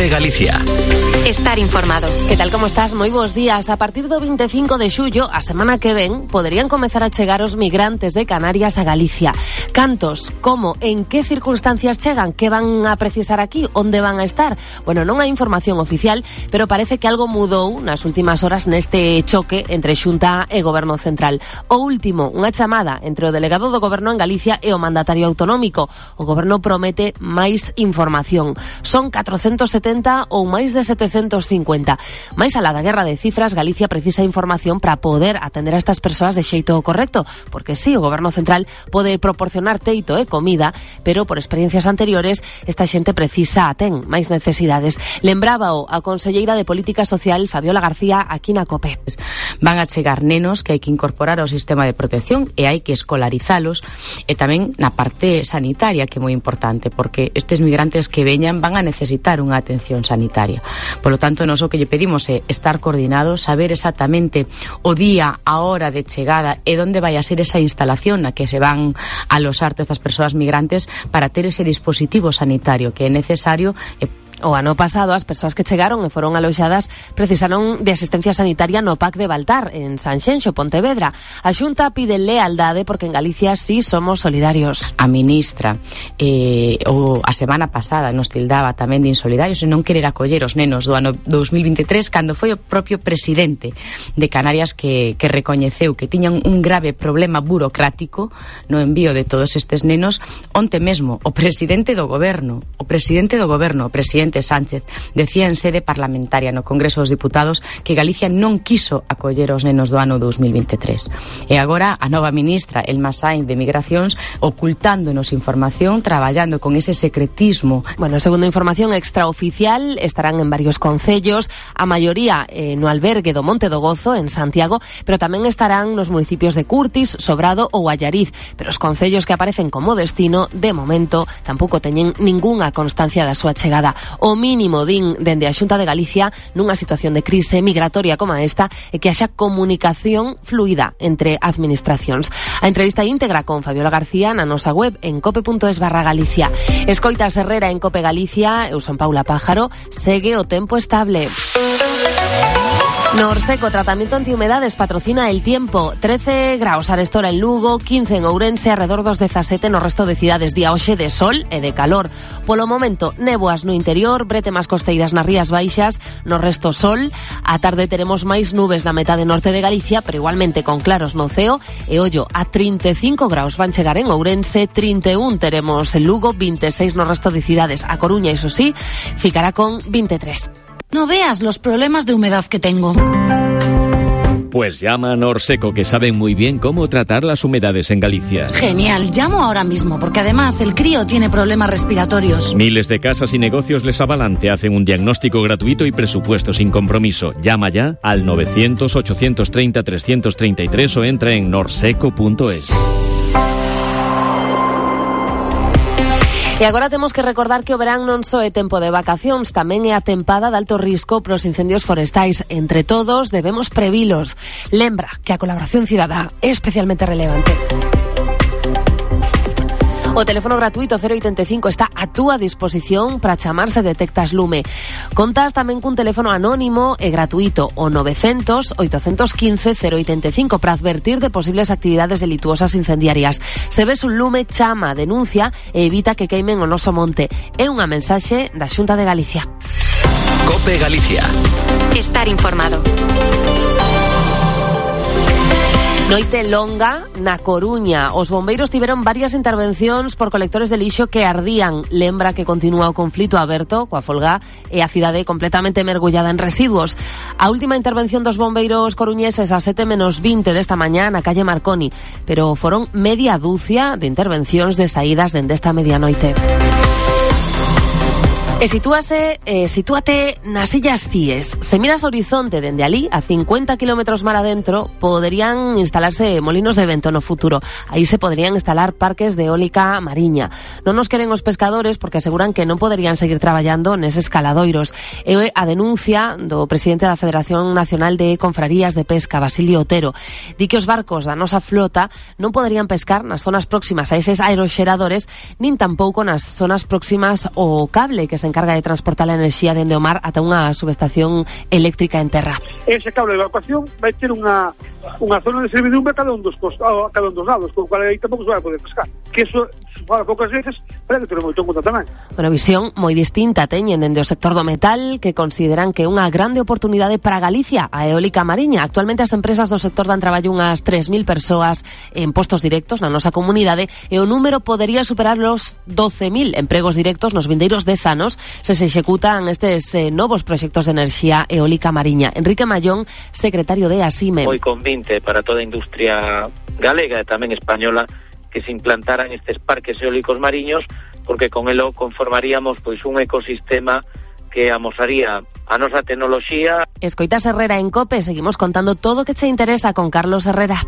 Cope Galicia. Estar informado. Que tal como estás? Moi bons días. A partir do 25 de xullo, a semana que ven, poderían comezar a chegar os migrantes de Canarias a Galicia. Cantos, como, en que circunstancias chegan, que van a precisar aquí, onde van a estar? Bueno, non hai información oficial, pero parece que algo mudou nas últimas horas neste choque entre Xunta e Goberno Central. O último, unha chamada entre o delegado do Goberno en Galicia e o mandatario autonómico. O Goberno promete máis información. Son 470 ou máis de 750. Mais alá da guerra de cifras, Galicia precisa información para poder atender a estas persoas de xeito correcto, porque sí, o Goberno Central pode proporcionar teito e comida, pero por experiencias anteriores esta xente precisa, ten máis necesidades. Lembrábao a conselleira de Política Social, Fabiola García, aquí na COPE. Van a chegar nenos que hai que incorporar ao sistema de protección e hai que escolarizalos, e tamén na parte sanitaria, que é moi importante, porque estes migrantes que veñan van a necesitar unha atención sanitaria. Polo tanto, nos o que lle pedimos é estar coordinados, saber exactamente o día, a hora de chegada e onde vai a ser esa instalación na que se van a alosar todas estas persoas migrantes para ter ese dispositivo sanitario que é necesario. O ano pasado, as persoas que chegaron e foron aloxadas precisaron de asistencia sanitaria no PAC de Baltar, en Sanxenxo, Pontevedra. A Xunta pide lealdade porque en Galicia sí somos solidarios. A ministra a semana pasada nos tildaba tamén de insolidarios e non querer acoller os nenos do ano 2023, cando foi o propio presidente de Canarias que recoñeceu que tiñan un grave problema burocrático no envío de todos estes nenos. Onte mesmo, o presidente do goberno, o presidente Sánchez, decía en sede parlamentaria no Congreso dos Diputados que Galicia non quiso acoller os nenos do ano 2023. E agora a nova ministra, Elma Sainz de Migracións, ocultándonos información, traballando con ese secretismo. Bueno, segundo información extraoficial, estarán en varios concellos, a maioría no albergue do Monte do Gozo, en Santiago, pero tamén estarán nos municipios de Curtis, Sobrado ou Allariz. Pero os concellos que aparecen como destino, de momento, tampouco teñen ningunha constancia da súa chegada. O mínimo, din dende a Xunta de Galicia, nunha situación de crise migratoria como esta, é que haxa comunicación fluida entre administracións. A entrevista íntegra con Fabiola García na nosa web en cope.es/Galicia. Escoitas Herrera en Cope Galicia, eu son Paula Pájaro, segue o tempo estable. Norseco, tratamiento antihumedades, patrocina El Tiempo. 13 graus arestora en Lugo, 15 en Ourense, alrededor dos 17 no resto de cidades. Día hoxe de sol e de calor. Polo momento, néboas no interior, bretemas costeiras nas Rías Baixas, no resto sol. A tarde teremos máis nubes na metade norte de Galicia, pero igualmente con claros no ceo. E ollo, a 35 graus van chegar en Ourense, 31 teremos en Lugo, 26 no resto de cidades. A Coruña, iso sí, ficará con 23. No veas los problemas de humedad que tengo. Pues llama a Norseco, que saben muy bien cómo tratar las humedades en Galicia. Genial, llamo ahora mismo, porque además el crío tiene problemas respiratorios. Miles de casas y negocios les avalan, te hacen un diagnóstico gratuito y presupuesto sin compromiso. Llama ya al 900-830-333 o entra en norseco.es. E agora temos que recordar que o verán non só é tempo de vacacións, tamén é a tempada de alto risco para os incendios forestais. Entre todos debemos previlos. Lembra que a colaboración cidadá é especialmente relevante. O teléfono gratuito 085 está a túa disposición para chamar se detectas lume. Contas tamén cun teléfono anónimo e gratuito, o 900-815-085, para advertir de posibles actividades delituosas incendiarias. Se ves un lume, chama, denuncia e evita que queimen o noso monte. É unha mensaxe da Xunta de Galicia. Cope Galicia. Estar informado. Noite longa na Coruña. Os bombeiros tiveron varias intervencións por colectores de lixo que ardían. Lembra que continúa o conflito aberto coa folga e a cidade completamente mergullada en residuos. A última intervención dos bombeiros coruñeses a 7:20 desta mañá na calle Marconi, pero foron media dúcia de intervencións de saídas dende esta medianoite. E sitúate nas Illas Cíes. Se miras o horizonte dende alí, a 50 kilómetros mar adentro, poderían instalarse molinos de vento no futuro. Aí se poderían instalar parques de eólica mariña. Non nos queren os pescadores porque aseguran que non poderían seguir traballando neses caladoiros. E a denuncia do presidente da Federación Nacional de Confrarías de Pesca, Basilio Otero, di que os barcos da nosa flota non poderían pescar nas zonas próximas a eses aeroxeradores, nin tampouco nas zonas próximas ao cable que se encarga de transportar a enerxía dende o mar ata unha subestación eléctrica en terra. Ese cable de evacuación vai ter unha zona de servidumbre a cada un dos lados, con o cual aí tampouco se vai poder pescar. Que eso se fala poucas veces, pero que ter moito en conta tamén. Unha visión moi distinta teñen dende o sector do metal, que consideran que é unha grande oportunidade para Galicia, a eólica mariña. Actualmente as empresas do sector dan traballo unhas 3.000 persoas en postos directos na nosa comunidade e o número podería superar los 12.000 empregos directos nos vindeiros 10 anos se executan estes novos proxectos de enerxía eólica mariña. Enrique Mallón, secretario de ASIME. Moi convinte para toda a industria galega e tamén española que se implantaran estes parques eólicos mariños, porque con elo conformaríamos pois un ecosistema que amosaría a nosa tecnoloxía. Escoitas Herrera en COPE, seguimos contando todo o que che interesa con Carlos Herrera.